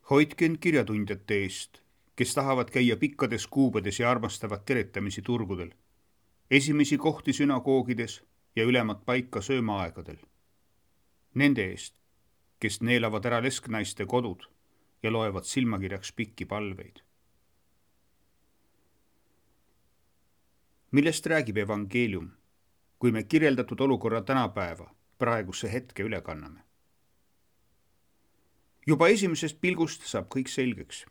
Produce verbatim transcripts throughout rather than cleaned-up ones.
Hoidke end kirjatundjate eest, kes tahavad käia pikkades kuubedes ja armastavad teretamisi turgudel, esimesi kohti sünagoogides ja ülemat paika söömaaegadel. Nende eest, kes neelavad ära lesknaiste kodud ja loevad silmakirjaks pikki palveid. Millest räägib evangeelium, kui me kirjeldatud olukorra tänapäeva, praeguse hetke üle kanname? Juba esimesest pilgust saab kõik selgeks.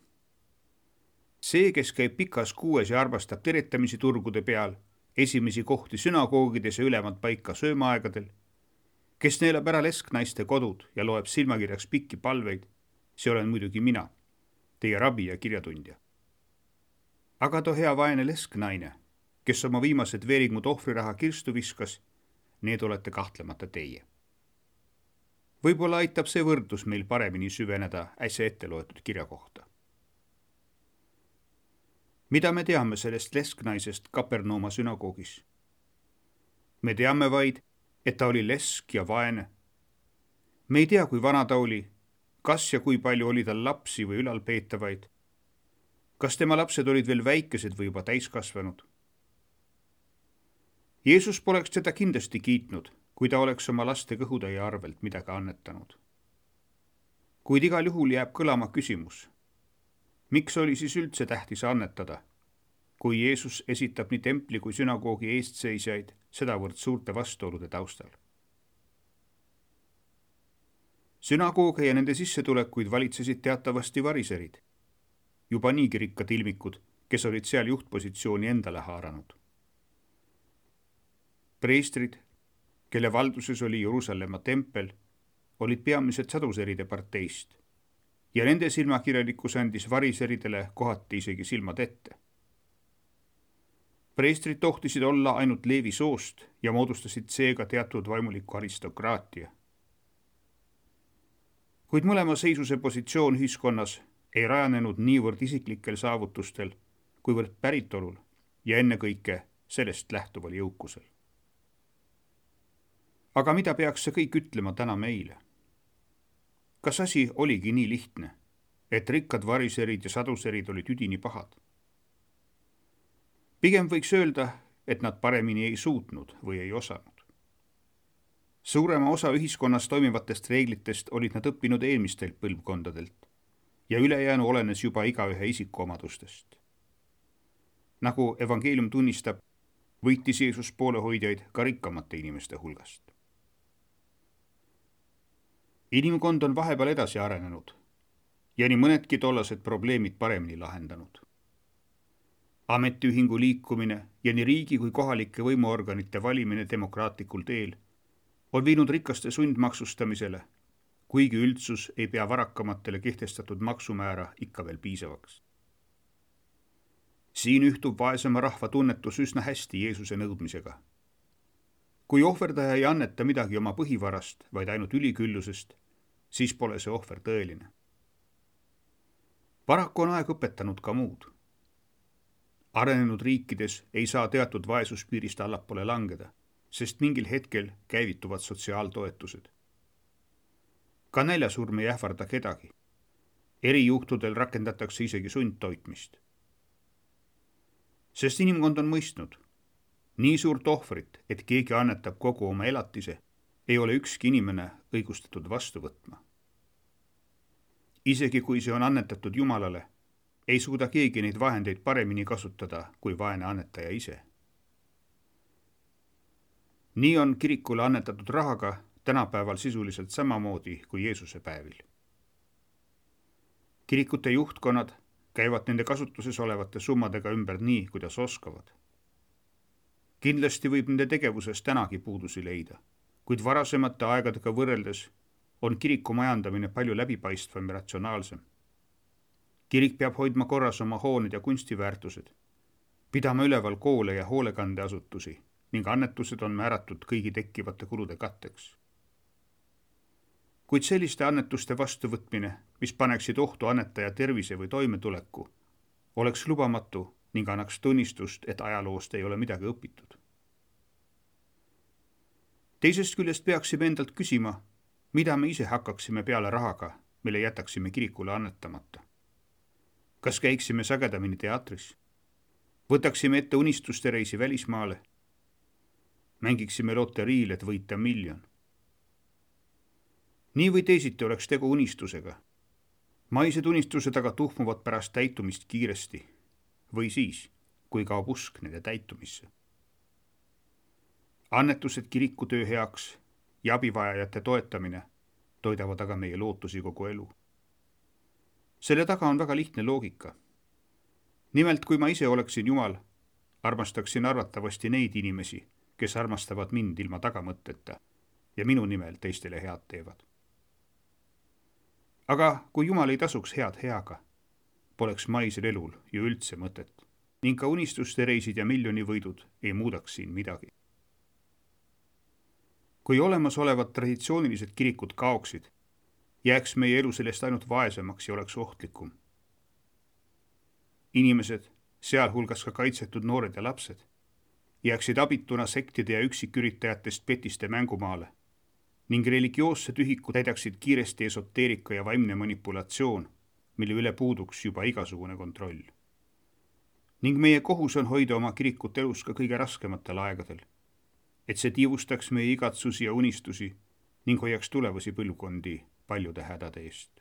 See, kes käib pikas kuues ja armastab teretamisi turgude peal, esimesi kohti sünagoogides ja ülemat paika söömaaegadel, kes neelab ära lesknaiste kodud ja loeb silmakirjaks pikki palveid, see olen muidugi mina, teie rabi ja kirjatundja. Aga too hea vaene lesknaine, kes oma viimased veeringud ohvriraha kirstu viskas, need olete kahtlemata teie. Võib-olla aitab see võrdlus meil paremini süveneda äsja ette loetud kirja kohta. Mida me teame sellest lesknaisest Kapernauma sünagoogis? Me teame vaid, et ta oli lesk ja vaene. Me ei tea, kui vana ta oli, kas ja kui palju oli tal lapsi või ülalpeetavaid. Kas tema lapsed olid veel väikesed või juba täiskasvanud? Jeesus poleks teda kindlasti kiitnud, kui ta oleks oma laste kõhutäie arvelt midagi annetanud. Kuid igal juhul jääb kõlama küsimus, miks oli siis üldse tähtis annetada, kui Jeesus esitab nii templi kui sünagoogi eestseisjaid sedavõrd suurte vastuolude taustal. Sünagooge ja nende sissetulekuid valitsesid teatavasti variserid, juba niigi rikkad ilmikud, kes olid seal juhtpositsiooni endale haaranud. Preestrid, kelle valduses oli Jeruusalemma tempel, olid peamised saduseride parteist ja nende silmakirjalikkus andis variseridele kohati isegi silmad ette. Preestrid tohtisid olla ainult Leevi soost ja moodustasid seega teatud vaimuliku aristokraatia. Kuid mõlema seisuse positsioon ühiskonnas ei rajanenud niivõrd isiklikel saavutustel, kuivõrd päritolul ja ennekõike sellest lähtuval jõukusel. Aga mida peaks see kõik ütlema täna meile? Kas asi oligi nii lihtne, et rikkad variserid ja saduserid olid üdini pahad? Pigem võiks öelda, et nad paremini ei suutnud või ei osanud. Suurema osa ühiskonnas toimivatest reeglitest olid nad õppinud eelmistelt põlvkondadelt ja ülejäänu olenes juba igaühe isikuomadustest. Nagu evangeelium tunnistab, võitis Jeesus poolehoidjaid ka rikkamate inimeste hulgast. Inimkond on vahepeal edasi arenenud ja nii mõnedki tollased probleemid paremini lahendanud. Ametiühingu liikumine ja nii riigi kui kohalike võimuorganite valimine demokraatlikul teel on viinud rikaste sundmaksustamisele, kuigi üldsus ei pea varakamatele kehtestatud maksumäära ikka veel piisavaks. Siin ühtub vaesema rahva tunnetus üsna hästi Jeesuse nõudmisega. Kui ohverdaja ei anneta midagi oma põhivarast, vaid ainult üliküllusest, siis pole see ohver tõeline. Paraku on aeg õpetanud ka muud. Arenenud riikides ei saa teatud vaesuspiirist allapoole langeda, sest mingil hetkel käivituvad sotsiaaltoetused. Ka näljasurm ei ähvarda kedagi. Erijuhtudel rakendatakse isegi sundtoitmist. Sest inimkond on mõistnud, nii suurt ohvrit, et keegi annetab kogu oma elatise, ei ole ükski inimene õigustatud vastu võtma. Isegi kui see on annetatud Jumalale, ei suuda keegi neid vahendeid paremini kasutada kui vaene annetaja ise. Nii on kirikule annetatud rahaga tänapäeval sisuliselt samamoodi kui Jeesuse päevil. Kirikute juhtkonnad käivad nende kasutuses olevate summadega ümber nii, kuidas oskavad. Kindlasti võib nende tegevuses tänagi puudusi leida, kuid varasemate aegadega võrreldes on kiriku majandamine palju läbipaistvam ja ratsionaalsem. Kirik peab hoidma korras oma hooned ja kunstiväärtused, pidama üleval koole ja hoolekandeasutusi ning annetused on määratud kõigi tekkivate kulude katteks. Kuid selliste annetuste vastuvõtmine, mis paneksid ohtu annetaja tervise või toimetuleku, oleks lubamatu ning annaks tunnistust, et ajaloost ei ole midagi õpitud. Teisest küljest peaksime endalt küsima, mida me ise hakkaksime peale rahaga, mille jätaksime kirikule annetamata? Kas käiksime sagedamini teatris? Võtaksime ette unistuste reisi välismaale? Mängiksime loteriil, et võita miljon? Nii või teisiti oleks tegu unistusega. Maised unistused aga tuhmuvad pärast täitumist kiiresti või siis, kui kaob usk nende täitumisse. Annetused kirikutöö heaks ja abivajajate toetamine toidavad aga meie lootusi kogu elu. Selle taga on väga lihtne loogika. Nimelt, kui ma ise oleksin Jumal, armastaksin arvatavasti neid inimesi, kes armastavad mind ilma tagamõtteta ja minu nimel teistele head teevad. Aga kui Jumal ei tasuks head heaga, poleks maisel elul ju üldse mõtet ning ka unistuste reisid ja miljonivõidud ei muudaks siin midagi. Kui olemasolevad traditsioonilised kirikud kaoksid, jääks meie elu sellest ainult vaesemaks ja oleks ohtlikum. Inimesed, sealhulgas ka kaitsetud noored ja lapsed, jääksid abituna sektide ja üksiküritajatest petiste mängumaale ning religioosse tühiku täidaksid kiiresti esoteerika ja vaimne manipulatsioon, mille üle puuduks juba igasugune kontroll. Ning meie kohus on hoida oma kirikut elus ka kõige raskematel aegadel, et see tiivustaks meie igatsusi ja unistusi ning hoiaks tulevasi põlvkondi paljude hädade eest.